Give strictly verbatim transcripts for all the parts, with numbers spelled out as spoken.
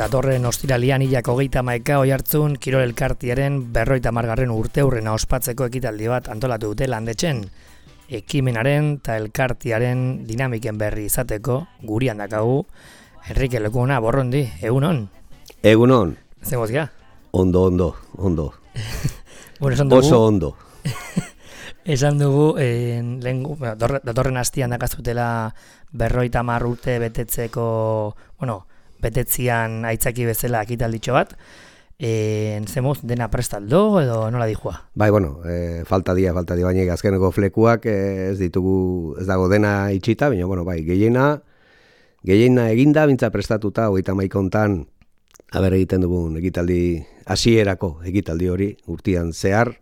datorren ostiralian hilak hogeita hamaika Oiartzun Kirol Elkartearen berrogeita hamargarren urteurrena ospatzeko ekitaldi bat antolatu dute Landetxen. Ekimenaren eta elkartearen dinamiken berri izateko gurian dakagu Enrique Lekuna Borrondi, egunon? Egunon. Zemoz ga? Ondo, ondo, ondo. Bueno, esan dugu, oso ondo. Esan dugu, eh, lehen, bueno, datorren hastian dakazutela berrogeita hamar urte betetzeko, bueno, betetzian aitzaki bezala ekitalditxo bat. Eh, Zemoz, dena prestaldo edo nola dijua? Bai, bueno, eh, falta dia, falta dia, baina azkeneko flekuak eh, ez ditugu, ez dago dena itxita, baina, bueno, bai, gehiena, gehiena eginda, bintza prestatuta, hogeita hamaika hontan, haber egiten dugun ekitaldi, hasierako ekitaldi hori, urtean zehar,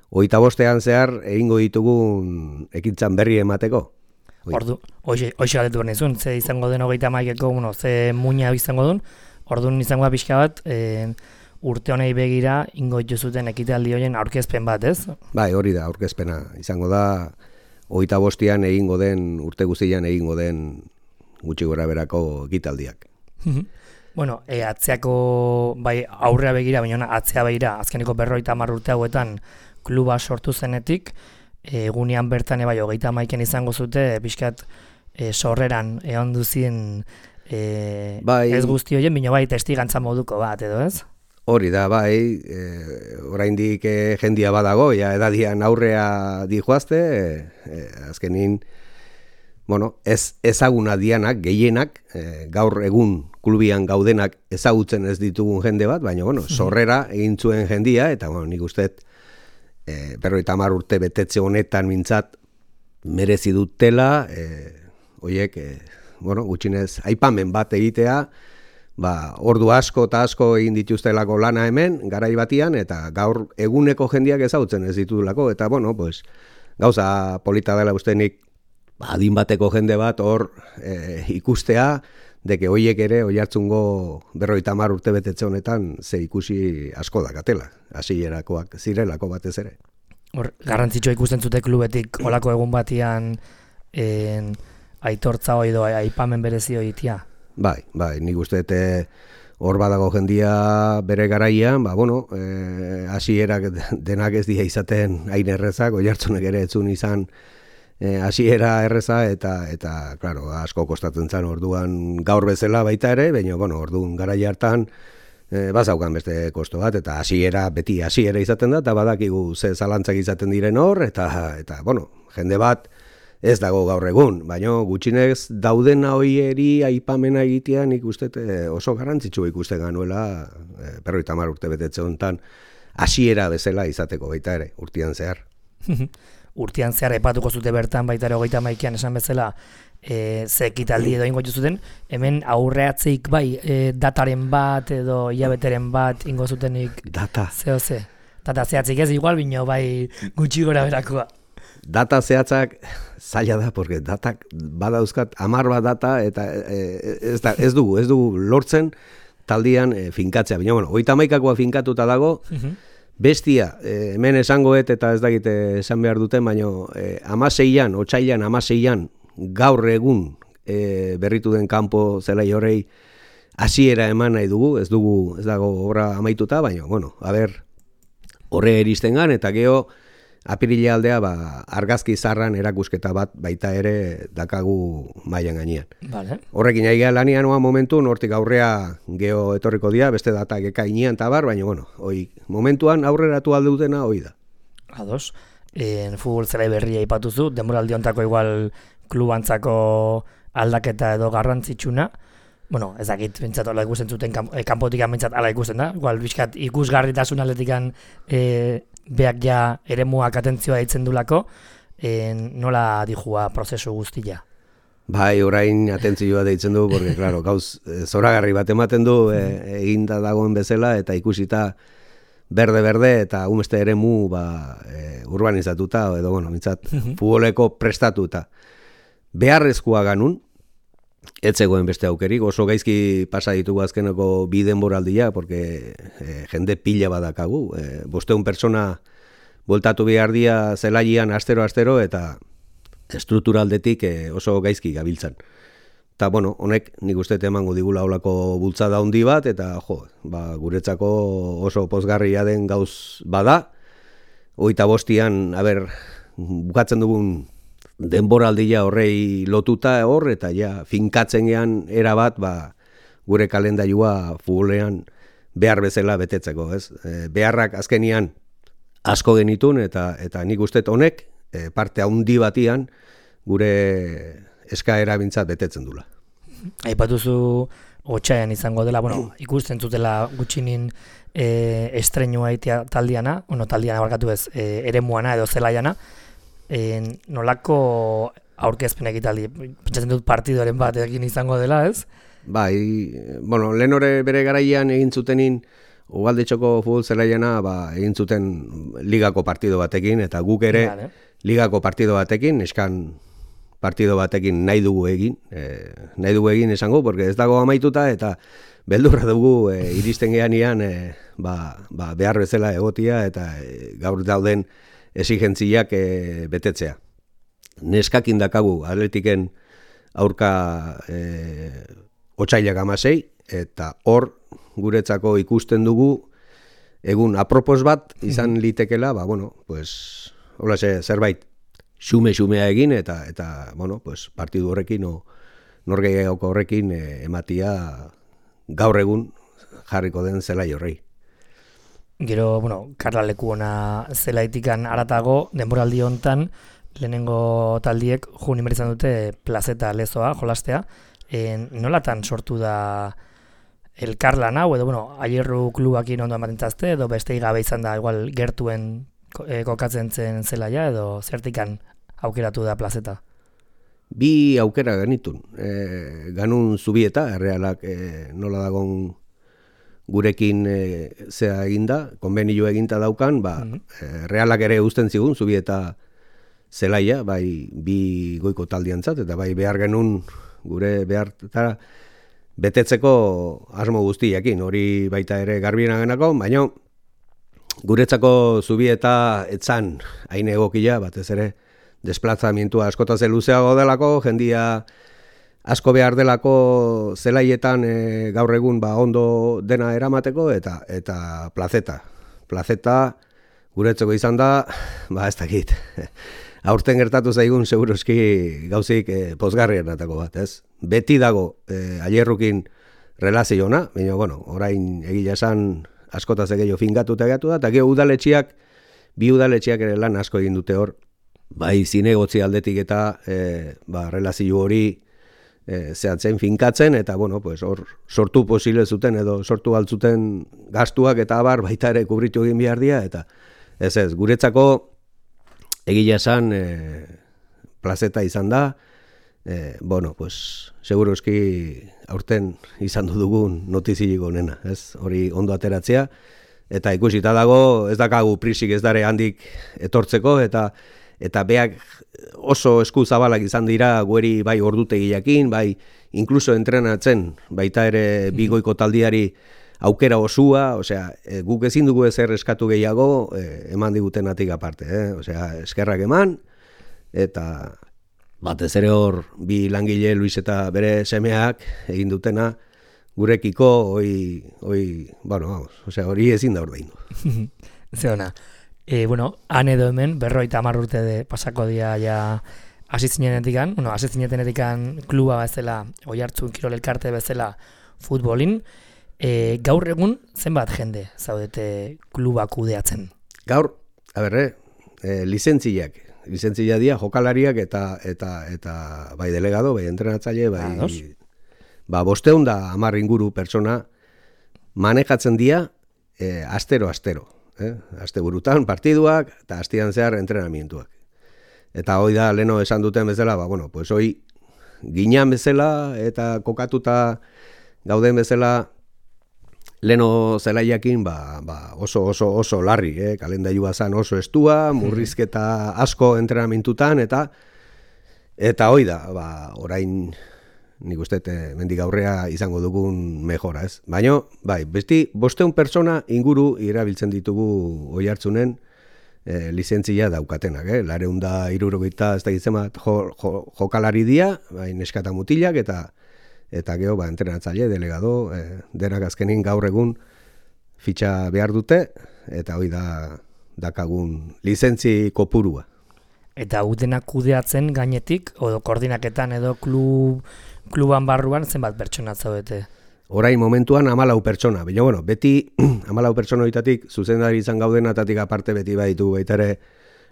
hogeita bostean zehar, egingo ditugun ekintzan berri emateko. Ordu, hoxe galdetu behar nizun, ze izango den hogeita hamaikeko, bueno, ze muina izango duen, orduan izango da pixka bat, e, urte honei begira, ingo dituzuten ekitaldi horien aurkezpen bat, ez? Bai, hori da, aurkezpena. Izango da, hogeita bostean egingo den, urte guztian egingo den gutxi gora berako ekitaldiak. Bueno, e, atzeako, bai, aurrea begira, baina atzea begira, azkeneko berrogeita hamar urte hauetan kluba sortu zenetik, egunean bertan bai hogeita hamaiken izango zute, pixkat e, sorreran egon duzien e, bai, ez guzti horien, bino bai testigantza moduko bat, edo ez? Hori da, bai, e, oraindik e, jendia badago, ja edadian aurrea dijoazte, e, e, azkenin, bueno, ez ezaguna dianak, gehienak, e, gaur egun klubian gaudenak ezagutzen ez ditugun jende bat, baina, bueno, sorrera egin zuen jendia, eta, bueno, nik usteet, E, berrogeita hamar urte betetze honetan mintzat merezi dutela, e, oiek, e, bueno, gutxinez, aipamen bat egitea, ba, ordu asko eta asko egin dituztelako lana hemen, garai batian, eta gaur eguneko jendiak ezagutzen ez ditulako, eta, bueno, pues, gauza polita dela ustenik, ba, adin bateko jende bat hor e, ikustea, deke hoiek ere, Oiartzungo berrogeita hamar urte betetze honetan, ze ikusi asko dakatela, hasierakoak zirelako batez ere. Hor, garrantzitsua ikusten zute klubetik olako egun batian en, aitortza hoi doa, aipamen berezi hoitia? Bai, bai, nik uste hor badago jendia bere garaian, ba, bueno, e, hasierak denak ez dira izaten hain errezak, Oiartzunek ere etzun izan, E, hasiera erreza eta, eta claro, asko kostatzen zen orduan gaur bezala baita ere, baina, bueno, orduan garai hartan e, bazaukan beste kosto bat, eta hasiera beti hasiera izaten da, eta badakigu ze zalantzak izaten diren hor, eta, eta bueno, jende bat ez dago gaur egun, baina gutxinez daudena hoieri aipamena egitea nik uste e, oso garrantzitsu ikusten ganuela e, berrogeita hamar urte betetze honetan hasiera bezala izateko baita ere, urtean zehar. Urtean zehar epatuko zute bertan baita ere hogeita hamaikan esan bezala e, ze ekitaldi edo ingo zuten, hemen aurreatzeik bai e, dataren bat edo hilabeteren bat ingo zutenik data zeo ze. Data zehatzik ez igual, bino bai gutxi gora berakoa. Data zehatzak zaila da, porque datak badauzkat hamar bat data eta e, ez, da, ez dugu, ez dugu lortzen taldian e, finkatzea. Baina, bueno, hogeita hamaikakoa finkatuta dago, bestia, eh, hemen esangoet eta ez dakite esan behar duten, baina eh, amaseian, otsailan amaseian, gaur egun eh, berritu den kanpo zelai horrei hasiera eman nahi dugu, ez dugu, ez dago obra amaituta, baina, bueno, a ber, horre eristen gan, eta geho, apirila aldea, ba, argazki zarran erakusketa bat baita ere dakagu mailan gainean. Vale. Horrekin aigea lanian oa momentu, hortik aurrea geho etorriko dia, beste datak ekainean eta bar, baina, bueno, hoi, momentuan aurreratu alde dutena hoi da. Ados, en futbol zelai berria ipatuzu, denboraldi hontako igual klubantzako aldaketa edo garrantzitsuna, bueno, ez dakit, bintzat, ala ikusten zuten, kanpotikan bintzat, ala ikusten da, igual, bizkat, ikusgarritasun aldetikan e, beak ja eremuak atentzioa ditzen dulako, e, nola dijua prozesu guztia? Bai, orain atentzioa deitzen du, porque, claro, gauz, zoragarri bat ematen du, e, eginda dagoen bezala, eta ikusita berde-berde, eta umeste eremu, ba, e, urbanizatuta, edo, bueno, bintzat, futboleko prestatuta. Beharrezkoa ganun, ez zegoen beste aukerik, oso gaizki pasa ditugu azkeneko bi denboraldia, porque e, jende pila badakagu. E, bosteun persona voltatu behar dia zelaian astero-astero, eta estrukturaldetik e, oso gaizki gabiltzan. Eta, bueno, honek nik uste emango digula olako bultzada handi bat, eta, jo, ba, guretzako oso pozgarria den gauz bada. Hogeita bostian, aber, bukatzen dugun denboraldia horrei lotuta hor, eta ja, finkatzen gean erabat, ba, gure kalendaiua futbolean behar bezala betetzeko, ez? E, beharrak azkenian asko genitun, eta eta nik uste honek, e, parte handi batian, gure eskaera bintzat betetzen dula. Aipatuzu otsaian izango dela, bueno, ikusten zutela gutxinin e, estrenua itea taldiana, bueno, taldiana barkatu ez, e, eremuana edo zelaiana, e, nolako aurkezpen ekitaldi, pentsatzen dut partidoren bat egin izango dela, ez? Bai, bueno, lehen hori bere garaian egin zutenin, Ugaldetxoko futbol zelaiana ba, egin zuten ligako partido batekin, eta guk ere vale. Ligako partido batekin, eskan partido batekin nahi dugu egin, e, nahi dugu egin esango, porque ez dago amaituta, eta beldurra dugu e, iristen geanian e, ba, ba, behar bezala egotia, eta e, gaur dauden esigentziak e, betetzea. Neskakin dakagu atletiken aurka e, otsailak hamasei, eta hor guretzako ikusten dugu egun apropos bat izan litekela, ba, bueno, pues, holase zerbait xume-xumea egin, eta, eta bueno, pues, partidu horrekin, o, norgehiagoko horrekin e, ematia gaur egun jarriko den zelai horrei. Gero, bueno, Karla leku ona zelaitikan aratago, denboraldi hontan, lehenengo taldiek juni izan dute plazeta lezoa, jolastea, e, nolatan sortu da elkarlan hau, edo, bueno, aierru klubakin ondo ematentzazte, edo bestei gabe izan da, igual, gertuen e, kokatzen zen zelaia, edo zertikan aukeratu da plazeta? Bi aukera genitun. E, ganun zubieta, errealak e, nola dagon gurekin e, zea eginda, konbenio eginta daukan, ba, mm-hmm. e, realak ere uzten zigun, zubieta zelaia, bai bi goiko taldiantzat, eta bai behar genuen gure behartara, betetzeko asmo guztiakin, hori baita ere garbien genako, baina guretzako zubieta etzan hain egokia, batez ere desplazamientua askotaz luzeago delako, jendia asko behar delako zelaietan e, gaur egun ba, ondo dena eramateko, eta eta plazeta. Plazeta guretzako izan da, ba ez dakit, aurten gertatu zaigun seguroski gauzik e, pozgarrien atako bat, ez? Beti dago e, aierrukin relaziona, baina, bueno, orain egila esan askotaz egeio fingatuta egatu da, eta gero udaletxiak, bi udaletxiak ere lan asko egin dute hor, bai zinegotzi aldetik eta e, ba, relazio hori e, zehatzen finkatzen, eta, bueno, pues, hor sortu posible zuten, edo sortu altzuten gastuak eta abar baita ere kubritu egin behar dira, eta ez ez, guretzako egila esan e, plazeta izan da, e, bueno, pues, seguroski aurten izan dugun notizilik onena, ez? Hori ondo ateratzea, eta ikusita dago, ez dakagu prisik ez dare handik etortzeko, eta eta beak oso esku zabalak izan dira gueri bai ordutegiakin, bai inkluso entrenatzen, baita ere bigoiko taldiari aukera osua, osea, e, guk ezin dugu ezer eskatu gehiago, e, eman digutenatik aparte, eh? Osea, eskerrak eman, eta batez ere hor bi langile Luis eta bere semeak egin dutena gurekiko hoi, hoi, bueno, vamos, osea, hori ezin da ordaindu. Ze ona. E, bueno, han edo hemen, berroita hamar urte de pasako dia ja asizinenetikan, bueno, asizinenetikan kluba bezala, Oiartzun Kirol Elkarte bezala futbolin, e, gaur egun zenbat jende zaudete kluba kudeatzen? Gaur, a berre, e, lizentziak, lizentzia dira jokalariak eta eta eta bai delegado, bai entrenatzaile, bai ah, ba bosteun da hamar inguru pertsona manejatzen dira e, astero astero, eh? Asteburutan partiduak eta astian zehar entrenamientuak. Eta hoi da leno esan duten bezala, ba bueno, pues hoi ginan bezala eta kokatuta gauden bezala leno zelaiakin ba, ba oso oso oso larri, eh, kalendailua zan oso estua, murrizketa asko entrenamentutan eta eta hoi da, ba orain nik uste mendik aurrea izango dugun mejora, ez? Baina, bai, besti bosteun pertsona inguru irabiltzen ditugu Oiartzunen e, lizentzia daukatenak, eh? Lareunda hirurogeita ez da gizemat jo, jo, jokalari dia, bai, neskata mutilak eta eta gero, ba, entrenatzaile, delegado, e, denak azkenin gaur egun fitxa behar dute, eta hoi da dakagun lizentzi kopurua. Eta utenak kudeatzen gainetik, edo koordinaketan edo klub, kluban barruan zenbat pertsona zaudete? Orain momentuan hamalau pertsona, baina bueno, beti hamalau pertsona horietatik zuzendari izan gaudenatatik aparte beti baditu baita ere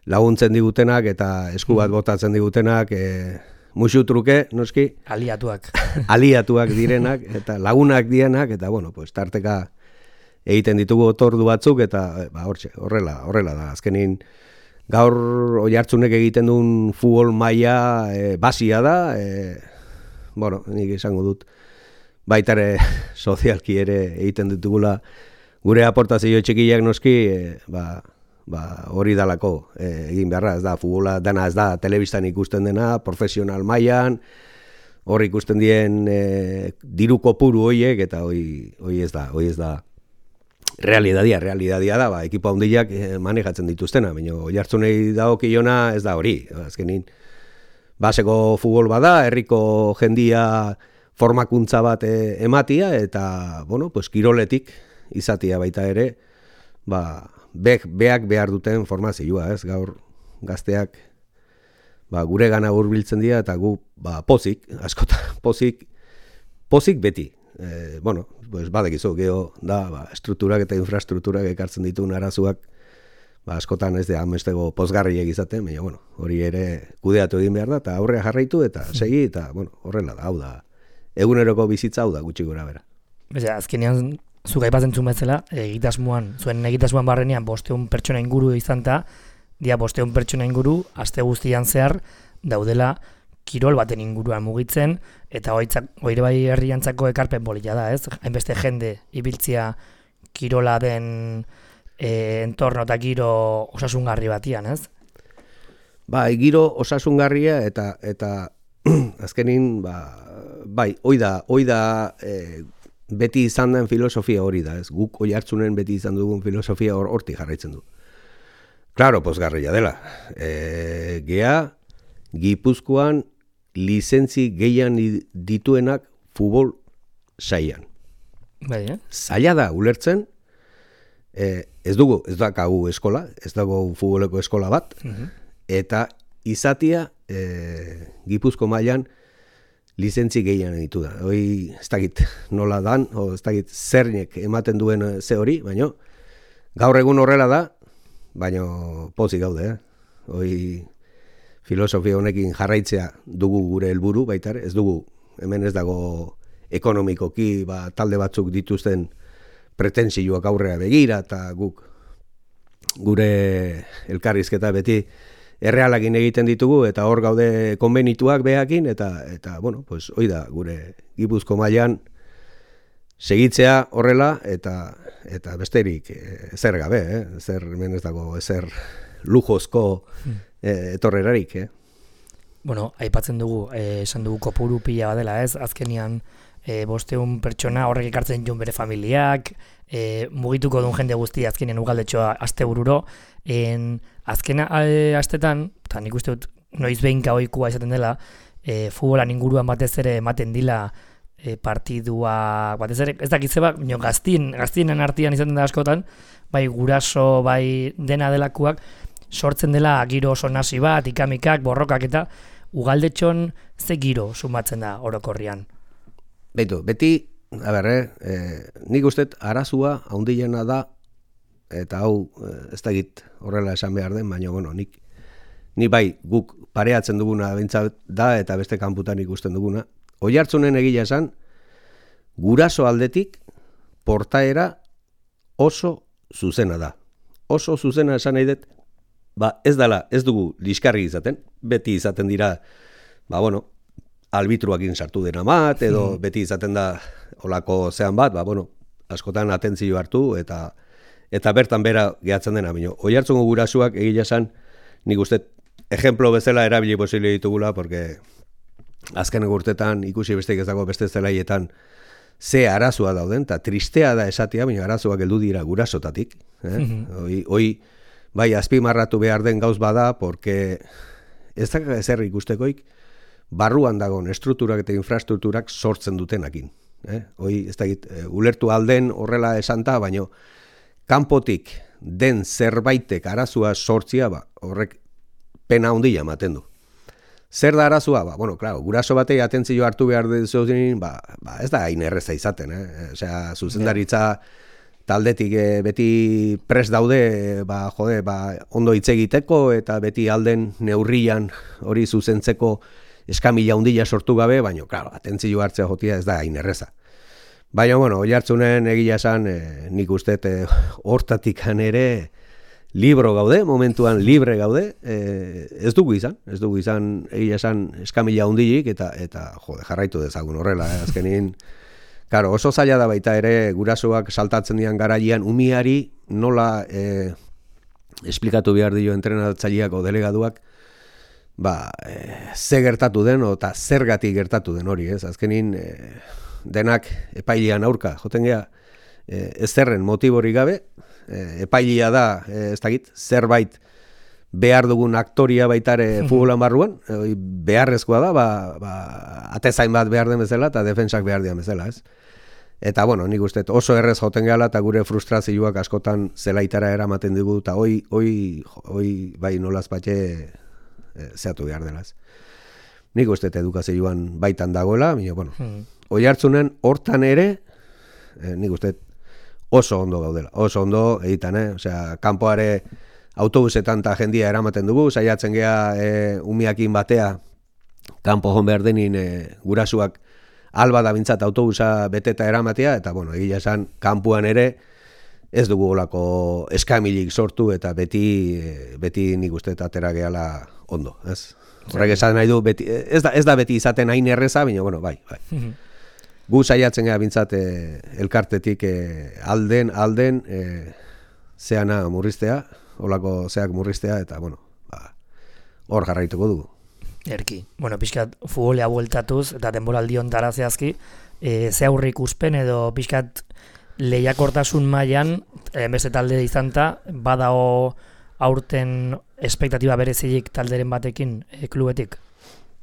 laguntzen digutenak eta esku bat botatzen digutenak, e, musu truke, noski? Aliatuak. Aliatuak direnak eta lagunak dienak, eta bueno, pues tarteka egiten ditugu otordu batzuk, eta ba, hortxe, horrela, horrela da. Azkenin gaur Oiartzunek egiten duen futbol maila e, basia da, e, bueno, nik esango dut, baitare sozialki ere egiten ditugula gure aportazio txikiak noski, e, ba, ba, hori dalako e, egin beharra, ez da, futbola dana ez da, telebistan ikusten dena, profesional mailan, hor ikusten dien e, diru kopuru hoiek, eta hoi, hoi ez da, hoi ez da, realidadia, realidadia da, ba, ekipo handiak e, manejatzen dituztena, baina Oiartzunei dagokiona ez da hori, azkenin, baseko futbol bada, herriko jendia formakuntza bat e, ematia, eta, bueno, pues, kiroletik izatia baita ere, ba, be, beak behar duten formazioa, ez, gaur gazteak, ba, gure gana hurbiltzen dira, eta gu, ba, pozik, askota, pozik, pozik beti. E, bueno, pues, badekizu, geho, da, ba, strukturak eta infrastrukturak ekartzen dituen arazuak, ba, askotan ez da amestego pozgarriek izaten, baina, bueno, hori ere kudeatu egin behar da, eta aurrea jarraitu, eta segi, eta, bueno, horrela da, hau da, eguneroko bizitza hau da, gutxi gora bera. Beza, azkenean, zuk aipatzen zuen bezala, egitasmoan, zuen egitasmoan barrenean bosteun pertsona inguru izan ta, dia bosteun pertsona inguru, aste guztian zehar, daudela kirol baten inguruan mugitzen, eta hoitzak, hoire bai herriantzako ekarpen bolila da, ez? Hainbeste jende ibiltzia kirola den e, entorno eta giro osasungarri batian, ez? Ba, giro osasungarria eta eta azkenin, ba, bai, hoi da, hoi da e, beti izan den filosofia hori da, ez? Guk Oiartzunen beti izan dugun filosofia hor hortik jarraitzen du. Claro, pozgarria dela. E, gea, Gipuzkoan lizentzi gehian dituenak futbol saian. Bai, eh? Zaila da ulertzen, e, ez dugu, ez dakagu eskola, ez dago futboleko eskola bat, uh-huh. Eta izatia e, Gipuzko mailan lizentzi gehian ditu da. Hoi ez dakit nola dan, o ez dakit zernek ematen duen ze hori, baina gaur egun horrela da, baina pozik gaude, eh? Hoi filosofia honekin jarraitzea dugu gure helburu baitare, ez dugu, hemen ez dago ekonomikoki, ba, talde batzuk dituzten pretensioak aurrea begira, eta guk gure elkarrizketa beti errealakin egiten ditugu, eta hor gaude konbenituak behakin, eta, eta bueno, pues, hoi da, gure Gipuzko mailan segitzea horrela, eta, eta besterik ezer gabe, eh? Ezer, hemen ez dago, ezer lujozko hmm. etorrerarik, eh? Bueno, aipatzen dugu, eh, esan dugu kopuru pila badela, ez? Azkenian, eh, bosteun pertsona horrek ekartzen joan bere familiak, eh, mugituko duen jende guztia azkenean ugaldetxoa astebururo, en azkena eh, astetan, eta nik uste dut noiz behinka ohikoa izaten dela, eh, futbolan inguruan batez ere ematen dila eh, partidua, batez ere, ez dakitze bat, gaztien, gaztienen artean izaten da askotan, bai guraso, bai dena delakoak, sortzen dela giro oso nasi bat, ikamikak, borrokak eta ugaldetxon ze giro sumatzen da orokorrian. Beitu, beti, a ber, eh, nik uste arazua haundiena da, eta hau ez dakit horrela esan behar den, baina, bueno, nik, nik bai guk pareatzen duguna bintzat da, eta beste kanputan ikusten duguna. Oiartzunen egia esan, guraso aldetik portaera oso zuzena da. Oso zuzena esan nahi dut, ba, ez dala, ez dugu liskarri izaten, beti izaten dira, ba, bueno, albitruakin sartu dena bat, edo hmm. beti izaten da olako zean bat, ba, bueno, askotan atentzio hartu, eta eta bertan bera gehatzen dena, baina Oiartzungo gurasuak egia esan, nik uste, ejemplo bezala erabili posible ditugula, porque azken urtetan ikusi besteik ez dago beste zelaietan ze arazua dauden, eta tristea da esatia, baina arazoak heldu dira gurasotatik. Eh? Mm-hmm. Hoi, hoi, bai, azpimarratu behar den gauz bada, porque ez da ezer ikustekoik, barruan dagoen estrukturak eta infrastrukturak sortzen dutenakin. Eh? Hoi, ez da, ulertu alden horrela esanta, baino kanpotik den zerbaitek arazua sortzia, ba, horrek pena handia ematen du. Zer da arazua? Ba, bueno, claro, guraso batei atentzio hartu behar duzuen, ba, ba, ez da hain erreza izaten, eh? Osea, zuzendaritza taldetik eh, beti prest daude, eh, ba, jode, ba, ondo hitz egiteko eta beti alden neurrian hori zuzentzeko eskamila handia sortu gabe, baina, claro, atentzio hartzea jotia ez da hain erreza. Baina, bueno, Oiartzunen egia esan, eh, nik uste eh, hortatikan ere libro gaude, momentuan libre gaude, eh, ez dugu izan, ez dugu izan egia esan eskamila handiik eta, eta jode, jarraitu dezagun horrela, eh, azkenin, claro, oso zaila da baita ere gurasoak saltatzen dian garaian umiari nola eh, esplikatu behar dio entrenatzaileak o delegaduak, ba, eh, ze gertatu den eta zergatik gertatu den hori, ez? Azkenin eh, denak epailean aurka, joten gea, eh, ez zerren motibori gabe, eh, epailea da, eh, ez dakit, zerbait behar dugun aktoria baitare futbolan barruan, eh, beharrezkoa da, ba, ba, atezain bat behar den bezala eta defensak behar dian bezala, ez? Eta, bueno, nik uste oso errez joten gehala eta gure frustrazioak askotan zelaitara eramaten dugu, eta hoi, hoi, hoi bai nolaz batxe e, zehatu behar delaz. Nik uste edukazioan baitan dagoela, baina, bueno, hmm. Oiartzunen hortan ere, e, nik uste oso ondo gaudela, oso ondo egiten, eh? Osea, kanpoare autobusetan eta jendia eramaten dugu, saiatzen gea e, umiakin batea, kanpo hon behar denin e, gurasuak alba da bintzat autobusa beteta eramatea, eta, bueno, egia esan, kanpuan ere ez dugu olako eskamilik sortu, eta beti, beti nik uste atera gehala ondo, ez? Horrek esan nahi du, beti, ez, da, ez da beti izaten hain erreza, baina, bueno, bai, bai. Gu saiatzen gara bintzat e, elkartetik e, alden, alden, e, zeana murriztea, olako zeak murriztea, eta, bueno, ba, hor jarraituko dugu. Erki. Bueno, pixkat futbolea bueltatuz, eta denboraldi ontara zehazki, e, ze aurre ikuspen edo pixkat lehiakortasun mailan e, beste talde izanta, badao aurten espektatiba berezilik talderen batekin e, klubetik?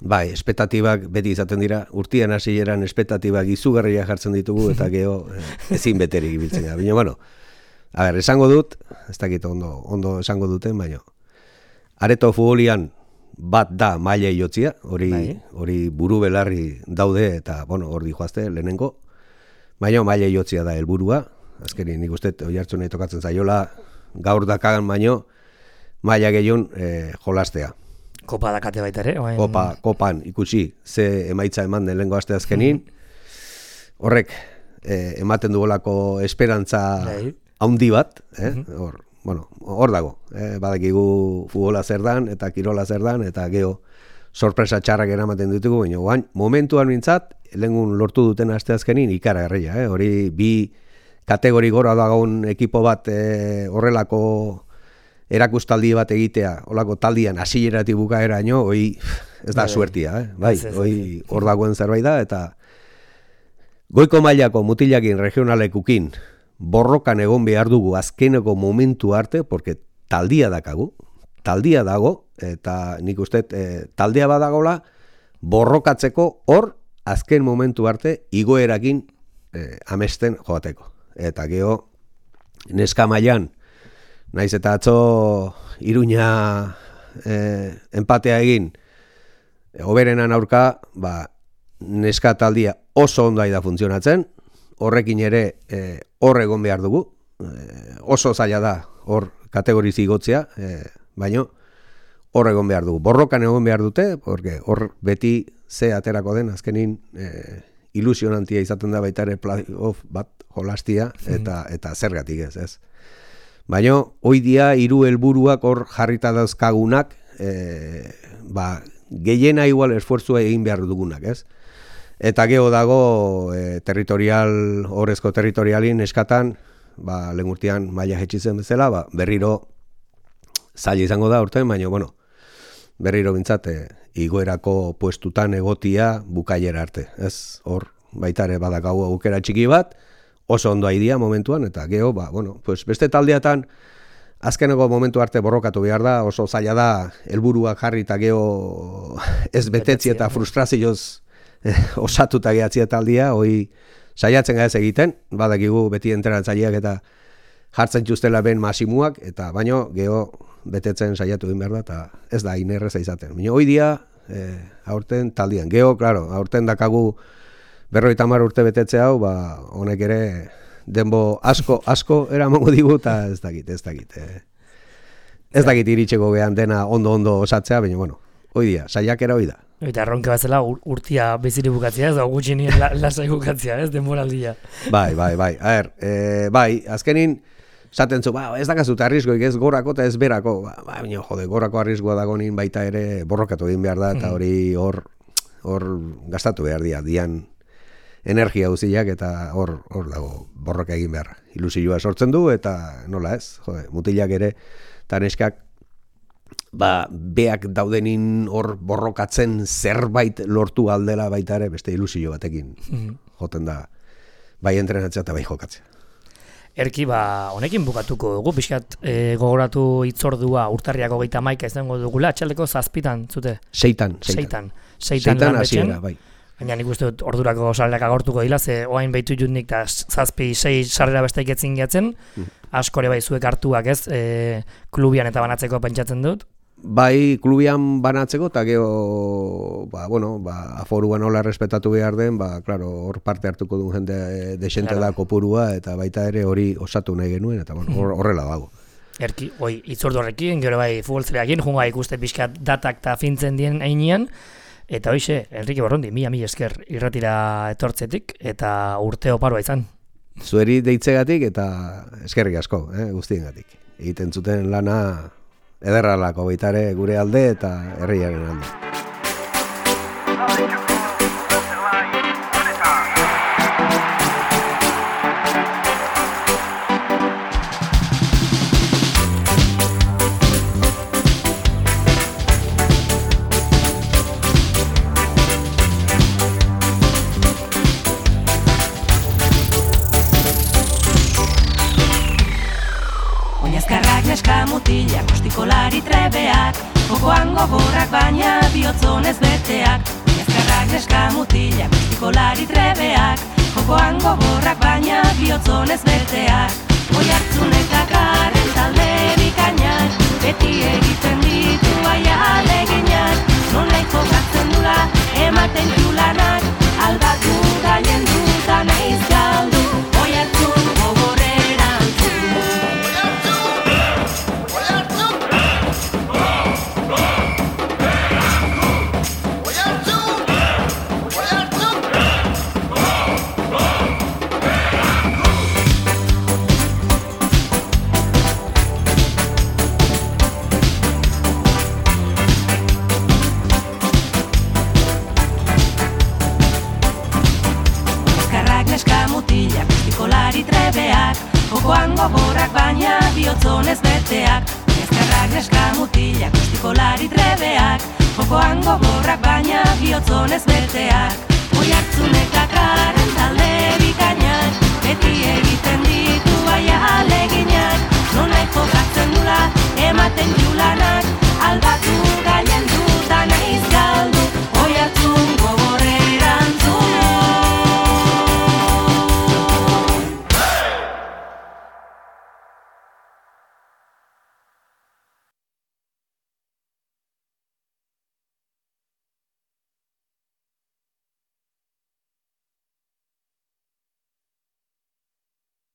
Bai, espektatibak beti izaten dira, urtian hasieran espektatibak izugarria jartzen ditugu, eta geho ezin beterik ibiltzen gara. Baina, bueno, a ber, esango dut, ez dakit ondo, ondo esango duten, baina, areto futbolian bat da mailei jotzia, hori, hori buru belarri daude, eta, bueno, hor di joazte, lehenengo, baina mailei jotzia da helburua, azkeni nik uste, Oiartzunei tokatzen zaiola, gaur dakagan baino, maila gehiun eh, jolastea. Kopa dakate baita ere? Oen... Kopa, kopan ikusi ze emaitza eman den lehengo aste azkenin, horrek eh, ematen duolako esperantza handi bat, eh? hor, bueno, hor dago, eh? badakigu futbola zer dan, eta kirola zer dan, eta geho sorpresa txarrak eramaten ditugu, baina guain, momentuan mintzat, lehengun lortu duten aste azkenin ikara herria, eh? hori bi kategori gora dagoen ekipo bat eh, horrelako erakustaldi bat egitea, holako taldian hasieratik bukaeraino, hoi ez da suertia, eh? bai, hoi hor dagoen zerbait da, eta goiko mailako mutilakin regionalekukin borrokan egon behar dugu azkeneko momentu arte, porque taldia dakagu, taldia dago, eta nik uste eh, taldea badagola borrokatzeko hor azken momentu arte igoerakin eh, amesten joateko. Eta geho, neska mailan, naiz eta atzo Iruña eh, empatea egin, hoberenan aurka, ba, neska taldia oso ondai da funtzionatzen, horrekin ere eh, hor egon behar dugu, eh, oso zaila da hor kategorizi igotzea, eh, baino hor egon behar dugu. Borrokan egon behar dute, porque hor beti ze aterako den, azkenin eh, ilusionantia izaten da baita ere playoff bat jolastia, eta, eta zergatik ez, ez. Baina, hoi dia, hiru helburuak hor jarrita dauzkagunak, e, ba, gehiena igual esfuerzua egin behar dugunak, ez? Eta geho dago, e, territorial, horrezko territorialin eskatan, ba, lehen urtean maila jetxitzen bezala, ba, berriro zaila izango da urtean, baina, bueno, berriro bintzat, e, igoerako puestutan egotia bukaiera arte, ez? Hor, baitare badakagu aukera txiki bat, oso ondo haidia momentuan, eta geho, ba, bueno, pues beste taldeatan azkeneko momentu arte borrokatu behar da, oso zaila da, helburuak jarri eta geho ez betetzi eta frustrazioz eh, osatuta gehatzi eta aldia, hoi saiatzen gaez egiten, badakigu beti entrenatzaileak eta jartzen txustela ben masimuak, eta baino geho betetzen saiatu egin behar da, eta ez da inerreza izaten. Baina hoi dia, eh, aurten taldian. Geho, klaro, aurten dakagu berrogeita hamar urte betetze hau, ba, honek ere denbo asko, asko eramango digu, eta ez dakit, ez dakit. Eh. Ez dakit iritseko gehan dena ondo-ondo osatzea, baina, bueno, hoi dia, saiakera hoi da. Eta erronke bat zela urtia biziri bukatzea, ez da gutxinien la, lasai bukatzea, ez, denboraldia. Bai, bai, bai, a ber, eh, bai, azkenin, zaten zu, ba, ez dakazut arrizkoik ez gorako eta ez berako, ba, ba, baina, jode, gorako arrizkoa dagonin baita ere borrokatu egin behar da, eta hori hor, hor gastatu behar dia, dian energia guziak eta hor hor dago borroka egin behar. Ilusioa sortzen du eta nola ez, jode, mutilak ere eta neskak ba, beak daudenin hor borrokatzen zerbait lortu aldela baita ere beste ilusio batekin joten da bai entrenatzea eta bai jokatzea. Erki, ba, honekin bukatuko dugu, pixkat e, gogoratu hitzordua urtarriako geita maika izango dugula, atxaldeko zazpitan, zute? Seitan, seitan. Seitan, seitan, seitan hasiera, bai. Baina nik uste dut ordurako sarrerak agortuko dila, ze oain behitu jutnik eta zazpi, sei sarrera beste iketzin jatzen, mm. askore bai zuek hartuak ez, e, klubian eta banatzeko pentsatzen dut. Bai, klubian banatzeko, eta geho, ba, bueno, ba, aforua nola respetatu behar den, ba, klaro, hor parte hartuko duen jende desente da kopurua, eta baita ere hori osatu nahi genuen, eta bueno, hor, horrela dago. Erki, oi, itzordu horrekin, gero bai futbolzeleakin, junga ikuste pixkat datak eta fintzen dien einean, eta hoize, Enrique Borrondi, mila mila esker irratira etortzetik, eta urte oparoa izan. Zueri deitzegatik eta eskerrik asko, eh, guztiengatik. Egiten zuten lana ederralako baitare gure alde eta herriaren alde. Neska mutilak, ostikolari trebeak, jokoan gogorrak baina bihotzonez beteak. Ezkerrak neska mutilak, ostikolari trebeak, jokoan gogorrak baina bihotzonez beteak. Oi hartzunek dakarren talde bikainak, beti egiten ditu aia aleginak. Nonlai jokatzen dula, ematen julanak, aldatu gaien dutan eiz galdu. Oi hartzun gogorreran zu. Jokoan gogorrak baina bihotzonez beteak. Ezkerrak neska mutilak, ostikolari trebeak, jokoan gogorrak baina bihotzonez beteak. Oi hartzunek dakarren talde bikainak, beti egiten ditu aia aleginak. Nonlai jokatzen dula, ematen julanak, aldatu gaien du.